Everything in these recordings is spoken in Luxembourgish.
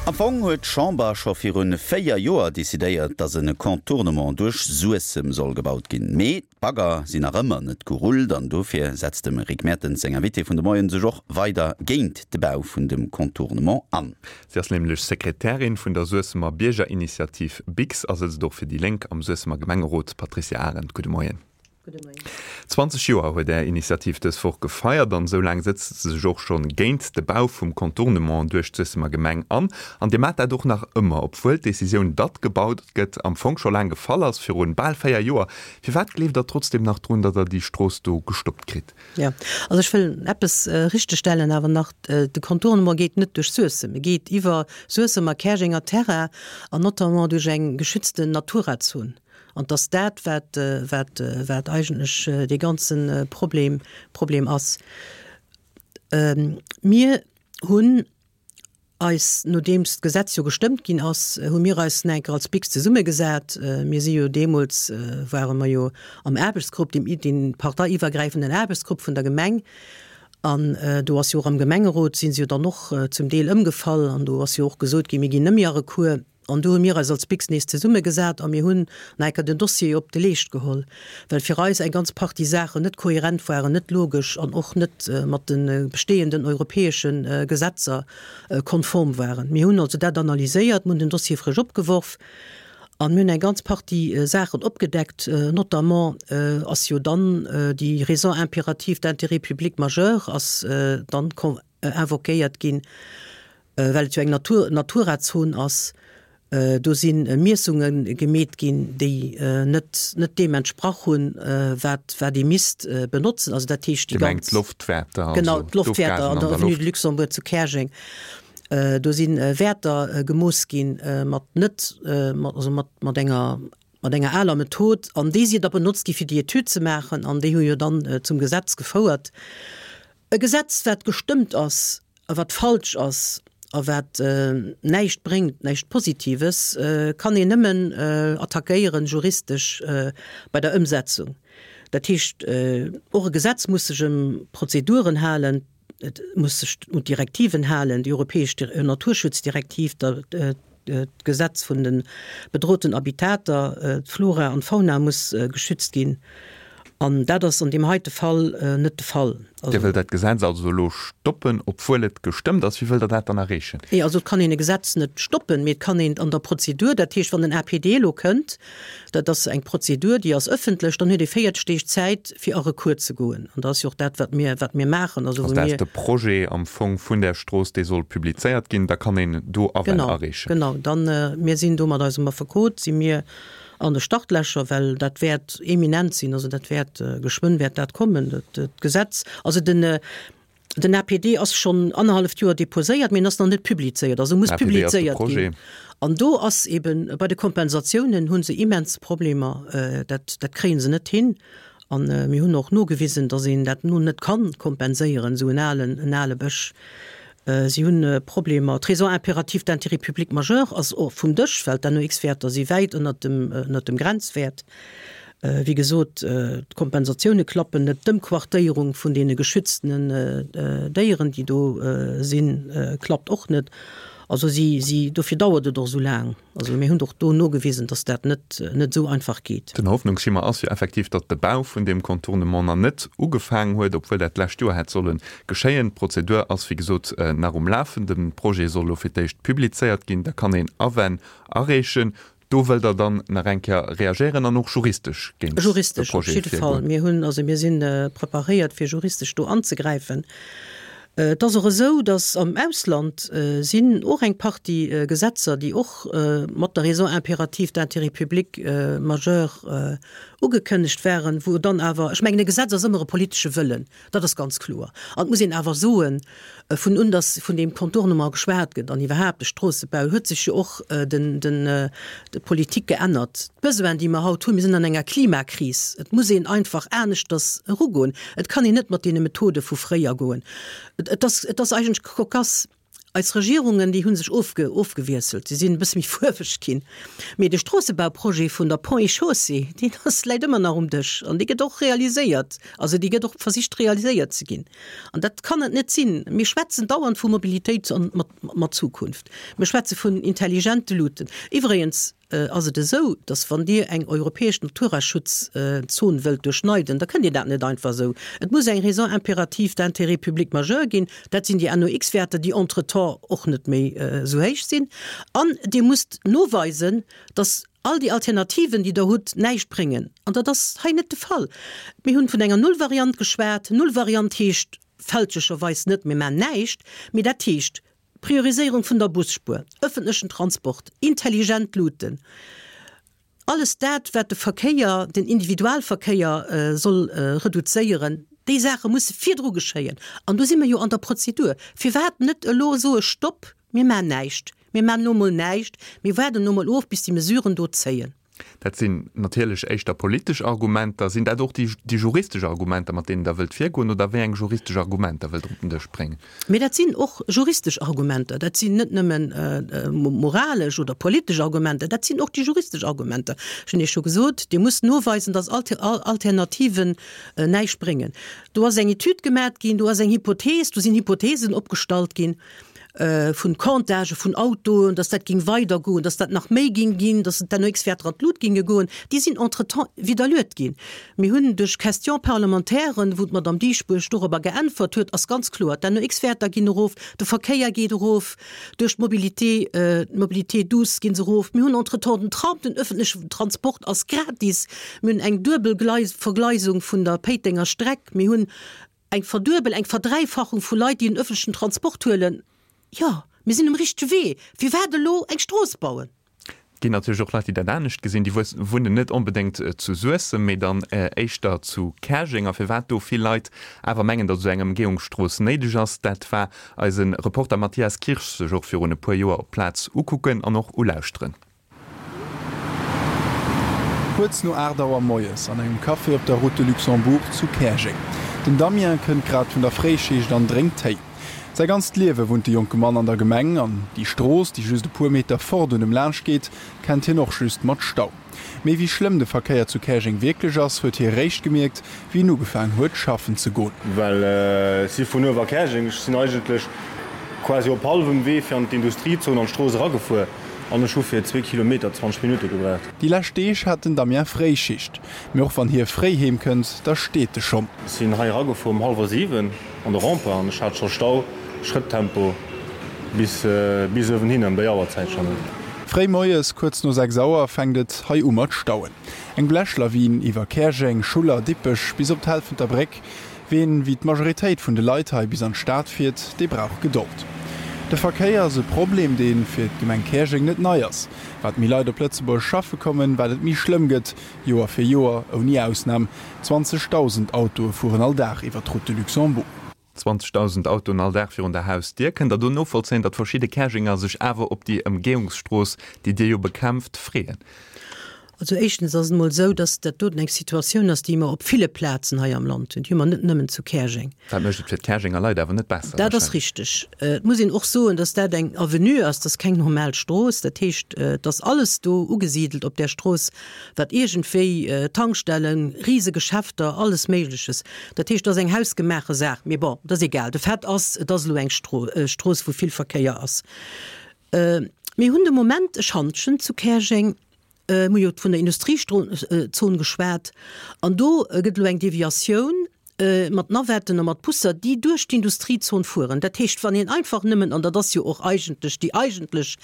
Am Fong huet d'Chamber scho virun 4 Joer decidéiert, datt e Contournement duerch Suessem soll gebaut ginn. Mee d'Bagger sinn nach ëmmer net gerullt an dofir setzt dem Rick Mertens seng Invitée vun de Moien sech och weider géint de Bau vun dem Contournement an. Si ass nämlech Sekretärin vun der Suessemer Biergerinitiativ BIGS a sëtzt och fir déi Lénk am Suessemer Gemengerot. Patricia Arendt, gudde Moien. Gudde Moien. 20 Joer huet Är Initiativ dës Woch gefeiert an esou laang sëtzt se sech och schonn géint de Bau vum Contournement duerch d'Suessemer Gemeng an. An Dir maacht dat och nach ëmmer, obwuel d'Decisioun, datt gebaut gëtt, am Fong scho laang gefall ass, virun bal 4 Joer. Firwat gleeft Der trotzdem nach drun, datt Der déi Strooss do gestoppt kritt? Jo, also ech wëll eppes richtegstellen awer nach, De Contournement geet net duerch Suessem, e geet iwwer Suessem a Käerjenger Terrain an notamment duerch eng geschützten Naturazon. An 't ass dat, wat, wat, wat eigentlech dee ganze Problem, Problem ass. Mir hunn eis, nodeems d'Gesetz jo gestëmmt ginn ass, hu mir eis nach eng Kéier als BIGS zesummegesat. Mir si jo deemools, ware mer jo am Aarbechtsgrupp, deem, dee parteiiwwergräifenden Aarbechtsgrupp vun der Gemeng. An do ass jo och am Gemengerot, si se jo dann och zum Deel ëmgefall an do ass jo och gesot ginn, mir ginn net méi a Recours. An do hu mir eis als BIGS nees zesummegesat a mir hunn nach eng Kéier den Dossier op de Leescht geholl, well fir eis eng ganz Partie Saachen net kohärent waren, net logesch an och net mat de bestehenden europäesche Gesetzer konform waren. Mir hunn also dat analyséiert, mir hunn den Dossier frësch opgeworf a mir hunn eng ganz Partie Saachen opgedeckt. Notamment ass jo dann déi Raison impérative d'intérêt public majeur ass dann invoquéiert ginn, well et jo eng Natur, Naturazon ass. Do si Miessunge gemeet ginn, déi net, net deem entsprach hunn, wat, wat ee misst benotzen. Also dat heescht déi Dir mengt ganz. d'Loftwäerter, also Genau, d'Loftwäerter d'Ofgasen an an der der Avenue Loft. de Luxembourg zu Käerjeng. Do si Wäerter gemooss ginn mat net, mat, also mat, mat enger, mat enger aler Method, an déi si da benotzt gi fir déi Etüd ze maachen, an déi hu jo dann zum Gesetz gefouert. E Gesetz, wat gestëmmt ass a wat falsch ass a wat näischt bréngt, näischt Positives, kann een nëmmen attackéieren juristesch bei der Ëmsetzung. Dat heescht, och e Gesetz muss sech ëm Prozeduren halen, et muss sech un d'Direktiven halen, déi europäesch Naturschutzdirektiv, D'Gesetz vun de bedroten Habitater, d'Flora an d'Fauna muss geschützt ginn. An dat ass an deem heite Fall net de Fall. Dir wëllt dat Gesetz also elo stoppen, obwuel et gestëmmt ass. Wéi wëllt Der dat dann erreechen? Nee, also et kann een e Gesetz net stoppen, mee et kann een an der Prozedur, dat heescht, wann den APD elo kënnt, Dat ass eng Prozedur, déi ass ëffentlech. Dann huet ee 40 Deeg Zäit, fir a Recours ze goen. An dat ass jo och dat, wat mir, wat mir maachen. Also wou mir. De Projet am Fong vun där Strooss, dee soll publizéiert ginn, da kann een do Awänn areechen. Genau, genau. Dann, mir sinn do mat eisem Affekot, si mir an de Startlächer, well dat wäert eminent sinn. Also dat wäert, geschwënn wäert dat kommen, dat Gesetz. Also den, Den APD ass schonn annerhalleft Joer deposéiert, mee en ass nach net publizéiert. Also e muss publizéiert ginn. An do ass eben, bei de Kompensatiounen hu se immens Problemer, dat, dat kréie se net hin. A mir hunn och nogewisen, datt een dat nun net ka kompenséieren, esou en alen, en ale Bësch. Si hunn Problemer. D'Raison impérative d'intérêt public majeur ass och vum Dësch, well d'NOx-Wäerter si wäit ënnert dem, ënnert dem Grenzwäert. Wéi gesot, d'Kompensatioune klappen net, d'Ëmquartéierung vun deene geschütztenen Déieren, déi do sinn, klappt och net. Also si, si, dofir dauert et och esou laang. Also mir hunn och do nogewisen, datt dat net, net esou einfach geet. Den Hoffnungsschimmer ass jo effektiv, datt de Bau vun deem Contournement nach net ugefaangen huet, obwuel dat d'lescht Joer hätt solle geschéien. D'Prozedur ass, wéi gesot, nach um Lafen. De Projet soll elo fir d'éischt publizéiert ginn, da kann een Awänn areechen. Do wëllt Der dann nach eng Kéier reagéieren an och juristesch géint de Projet virgoen? Juristesch op jidde Fall. Mir hunn, also mir si preparéiert, fir juristesch do anzegräifen. Et ass och esou, datt am Ausland sinn och eng Partie Gesetzer, déi och mat der Raison impérative d'intérêt public majeur ugekënnegt waren, wou dann awer, ech mengen, e Gesetz ass ëmmer e politesche Wëllen, Dat ass ganz kloer. An et muss een awer soen, vun un datt vun deem Contournement geschwat gëtt an iwwerhaapt de Stroossebau, huet sech jo och den, den, d'Politik geännert. D'Besoinen, déi mer haut hunn, mir sinn an enger Klimakris, et muss een einfach aneschters erugoen. Et kann een net mat deene Methode vu fréier goen. Et ass, et ass eigentlech cocasse. Eis Regierungen, déi hu sech ofge, ofgewiesselt, se sinn e bësse méi fuerweg ginn. Mee de Stroossebauprojet vun der Ponts et Chaussées, deen ass, läit ëmmer nach um Dësch an dee gëtt och realiséiert, also dee gëtt och versicht realiséiert ze ginn. An dat kann et net sinn. Mir schwätzen dauernd vu Mobilitéit an mat, mat Zukunft. Mir schwätze vun intelligente Luuten. Iwwregens, ass et esou, dass wann Dir eng europäesch Naturaschutzon wëllt duerchschneiden, da kënnt Dir dat net einfach esou. Et muss eng Raison impérative d'intérêt public majeur ginn. Dat sinn déi NOx-Wäerter, déi entretemps och net méi esou héich sinn. An Dir musst noweisen, dass all déi Alternativen, déi Der hutt, näischt bréngen. An dat ass hei net de Fall. Mir hunn vun enger Nullvariant geschwat. Nullvariant heescht fälschlecherweis net, mir maachen näischt, mee dat heescht, Prioriséierung vun der Busspuer, ëffentlechen Transport, intelligent Luuten, alles dat, wat de Verkéier, den Individualverkéier soll reduzéieren, déi Saache musse virdru geschéien. An do si mer jo an der Prozedur. Firwat net elo soe Stopp, mir maachen näischt, mir maachen elo emol näischt, mir waarden elo emol of, bis déi Mesuren do zéien. Dat sinn natierlech éischter politesch Argumenter. Sinn dat och déi juristesch Argumenter, mat deenen Der wëllt virgoen, oder wéi eng juristesch Argumenter wëllt Der op den Dësch bréngen? Mee dat sinn och juristesch Argumenter. Dat sinn net nëmmen moralesch oder politesch Argumenter, dat sinn och déi juristesch Argumenter. Ech hunn Iech scho gesot, Dir musst noweisen, dass all Alternativen näischt bréngen. Do ass eng Etüd gemat ginn, do ass eng Hypothees, do sinn Hypotheesen opgestallt ginn. vun Comptagë vun Autoen, datt dat géing weidergoen, datt dat nach méi géing ginn, datt d'NOx-Wäerter an d'Lut géinge goen, déi sinn entretemps widderluet ginn. Mir hunn duerch Question-parlementairen, wou d'Madame Dieschbourg dorobber geäntwert huet, ass ganz kloer, d'NOx-Wäerter ginn erof, de Verkéier geet erof, duerch d'Mobilité, d'Mobilité douce gi se erof. Mir hunn entretemps den Tram, den öffentlechen Transport ass gratis, mir hunn eng duebel Vergleisung vun der Péitenger Streck, mir hunn Eng Verduebel, eng Verdräifachung vu Leit, déi den öffentlechen Transport huelen. Jo, mir sinn um richtege Wee. Firwat elo eng Strooss bauen? Et ginn natierlech och Leit, déi dat anescht gesinn. Déi wunnen net onbedéngt zu Suessem, mee dann éischter zu Käerjeng. A firwat do vill Leit awer mengen, datt esou eng Ëmgehungsstrooss néideg ass, dat war eise Reporter Mathias Kirsch sech och virun e puer Joer op d'Plaz ukucken an och ulauschteren. Kuerz no 8 Auer moies an engem Café op der Route de Luxembourg zu Käerjeng. Den Damien kënnt grad vun der Fréischicht an drénkt Téi. Säi ganzt Liewe wunnt de jonke Mann an der Gemeng an déi Strooss, déi just e puer Meter fort un em laanscht geet, kennt hien och just mat Stau. Mee wéi schlëmm de Verkéier zu Käerjeng wierklech ass, huet hie réischt gemierkt, wéi en ugefaang huet schaffen ze goen. Well ech si vun Uewerkäerjeng, ech sinn eigentlech quasi op hallwem Wee fir an d'Industriezon an d'Strooss eragefuer an ech hu fir zwee Kilometer 20 Minutte gebraucht. Déi lescht Deeg hat den Damien Fréischicht. Mee och wann hie fréi heem kënnt, da steet e schonn. Ech sinn hei eragefuer um hallwer 7 an de Rempart an ech hat scho Stau, Schrëtttempo bis bis uewenhin ëm déi Auerzäit schonn. Fréi moies, kuerz no 6 Auer, fänkt et hei u mat stauen. Eng Blechlawin iwwer Käerjeng, Schuller, Dippech bis op d'Helfenter Bréck. Ween, wéi d'Majoritéit vun de Leit hei bis an d'Stad fiert, dee brauch Gedold. De Verkéier ass e Problem, dee fir d'Gemeng Käerjeng net nei ass. Wat méi Leit op Lëtzebuerg schaffe kommen, wat et méi schlëmm gëtt. Joer fir Joer, ouni Ausnam, 20.000 Autoe fueren all Dag iwwer d'Route de Luxembourg. 20.000 Autoen all Dag virun der Hausdier. Kënnt Der do novollzéien, datt verschidde Käerjenger sech awer op déi Ëmgehungsstrooss, déi Dir jo bekämpft, freeën? Also éischtens ass et emol esou, datt dat doten eng Situatioun ass, déi mer op ville Plazen hei am Land hunn. Déi hu mer net nëmmen zu Käerjeng. Dat mécht et fir d'Käerjenger Leit awer net besser Dat ass richteg. Et muss een och soen, datt dat eng Avenue ass, dat ass keng normal Strooss. Dat heescht, et ass alles do ugesidelt op där Strooss, wat iergendwéi, Tankstellen, Risegeschäfter, alles Méigleches. Dat heescht, et ass eng hausgemaache Saach. Mee bon, et ass egal. De Fait ass, et ass elo eng Strooss, wou vill Verkéier ass. Mir hunn de Moment e Schantjen zu Käerjeng. Mir hu jo vun der Industriezon geschwat. An do gëtt elo eng Deviatioun mat Navetten a mat Busser, déi duerch d'Industriezon fueren. Dat heescht, wann een einfach nëmmen, an dat ass jo och eigentlech déi eigentlech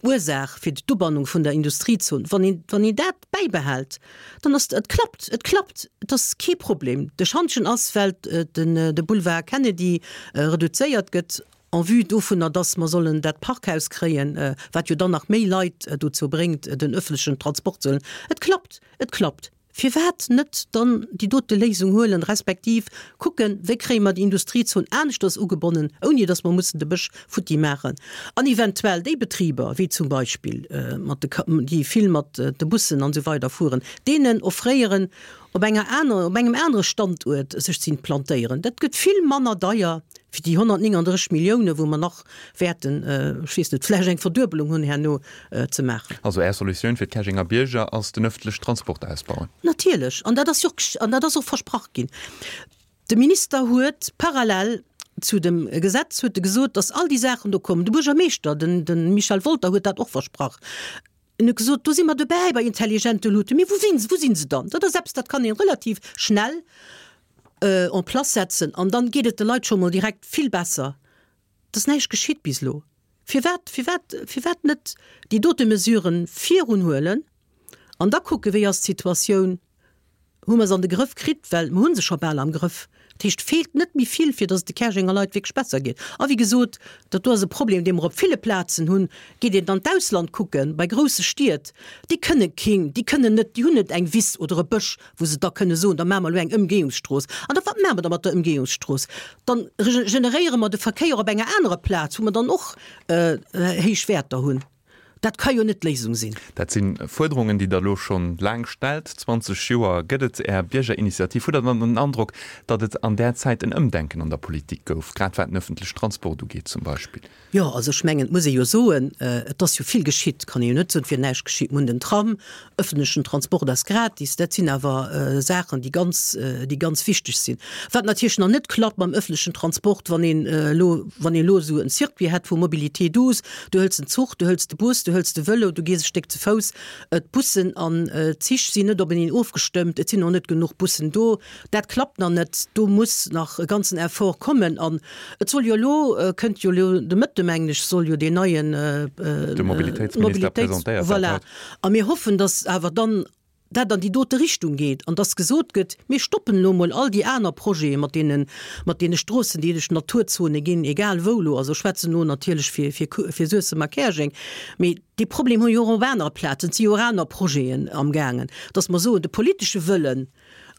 Ursaach fir d'Ubannung vun der Industriezon, wann een, wann een dat bäibehält, dann ass, et klappt, et klappt, et ass kee Problem. De Schantjen ass, well den, de Boulevard Kennedy reduzéiert gëtt en vue dovunner, dass mer sollen dat Parkhaus kréien, wat jo dann nach méi Leit dozou bréngt, den öffentlechen Transport ze huelen. Et klappt, et klappt. Firwat net dann déi dote Léisung huelen, respektiv kucken, wéi kréie mer déi Industriezon aneschters ugebonnen, ouni datt mer mussen de Bësch futti maachen, an eventuell déi Betriber, wéi zum Beispill mat de, déi vill mat de Bussen an esou weider fueren, deenen offréieren. op enger aner, op engem anere Standuert sech ze implantéieren. Dat gëtt vill manner deier wéi déi 139 Milliounen, wou mer nach wäerten, ech weess net, vläicht eng Verduebelung hunn herno, ze maachen. Also Är Solutioun fir d'Käerjenger Bierger ass den ëffentlechen Transport ausbauen? Natierlech, an dat ass jo och, an dat ass och versprach ginn. De Minister huet parallel zu dem Gesetz huet e gesot, datt all déi Saachen do kommen. De Buergermeeschter, den, de Michel Wolter huet dat och versprach. En huet gesot, do si mer dobäi bei intelligente Luuten. Mee wou sinn se, wou sinn se dann? Dat ass eppes, dat kann ee relativ schnell en place setzen an dann geet et de Leit scho mol direkt vill besser. Et ass näischt geschitt bis elo. Firwat, firwat, firwat net déi dote Mesuren virun huelen an da kucken, wéi ass d'Situatioun Hu mer se an de Grëff kritt, well mer hu se scho bal am Grëff. Dat heescht, et feelt net méi vill, fir datt et de Käerjenger Leit wierklech besser geet. A wéi gesot, dat do ass e Problem, dee mer op ville Plazen hunn. Geet een dann d'Ausland kucken, bei grousse Stied, déi kënne keen, déi kënnen net, déi hunn net eng Wiss oder e Bësch, wou se da kënne soen, da maache mer elo eng Ëmgehungsstrooss. An da, wat maache mer da mat der Ëmgehungsstrooss? Dann generéiere mer de Verkéier op enger anerer Plaz, wou mer dann och héich Wäerter hunn. Dat ka jo net d'Léisung sinn. Dat si Fuerderungen, déi Der elo scho laang stellt. 20 Joer gëtt et Är Biergerinitiativ. Hutt Der dann den Androck, datt et an där Zäit en Ëmdenken an der Politik gouf, grad wat den ëffentlechen Transport ugeet zum Beispill? Jo, also ech mengen, et muss ee jo soen, et ass jo vill geschitt. Kann ee jo net soen, et wier näischt geschitt. Mir hunn den Tram, ëffentlechen Transport ass gratis. Dat sinn awer Saachen, déi ganz, déi ganz wichteg sinn. Wat natierlech nach net klappt mam ëffentlechen Transport, wann een elo, wann een elo esou en Circuit hätt vu Mobilité douce, Du hëls den Zuch, du hëls de Bus, du hëls de Vëlo, du gees e Stéck ze Fouss. D'Bussen an d'Zich sinn net openeen ofgestëmmt, et sinn och net genuch Bussen do. Dat klappt nach net, do muss nach e ganzen Effort kommen. An et soll jo elo, kënnt jo elo de Mëtte mengen ech, soll jo deen neien De Mobilitéitsminister presentéiert dat voilà. haut. A mir hoffen, datt awer dann dat an déi dote Richtung geet an dass gesot gëtt, mir stoppen elo emol all déi aner Projete mat deene, mat deene Stroossen, déi duerch d'Naturzone ginn, egal wou elo, also ech schwätzen elo natierlech fir, fir, fir Suessem a Käerjeng, mee dee Problem hu jo och op anere Plazen, et si jo och aner Projeten amgaangen, dass mer soen, de politesche Wëllen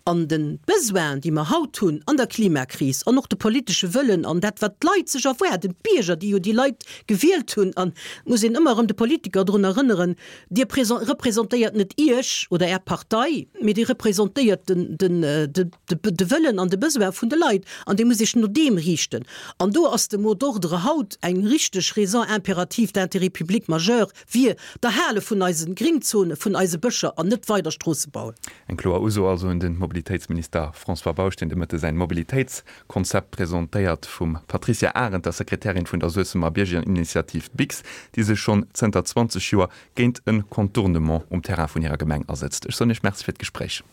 an de Besoin, déi mer haut hunn an der Klimakris an och de politesche Wëllen an dat, wat d'Leit sech erwaarden, d'Bierger, déi jo déi Leit gewielt hunn, an et muss een ëmmer erëm de Politiker drun erënneren, Dir representéiert net Iech oder Är Partei, mee Dir representéiert de Wëllen an de Besoin vun de Leit an Dir musst Iech no deem riichten. An do ass de Mot d'ordre haut eng richteg Raison impérative d'intérêt public majeur wier, d'Erhale vun eise Gringzone, vun eise Bëscher an net weider Stroosse bauen. Eng kloer Uso also un de Mobilitéitsminister François Bausch, deen de Mëtte säin Mobilitéitskonzept presentéiert. Vum Patricia Arendt, der Sekretärin vun der Suessemer Biergerinitiativ BIGS, déi sech schonn zënter 20 Joer géint e Contournement um Terrain vun hirer Gemeng asëtzt. Ech soen Iech Merci fir d'Gespréich.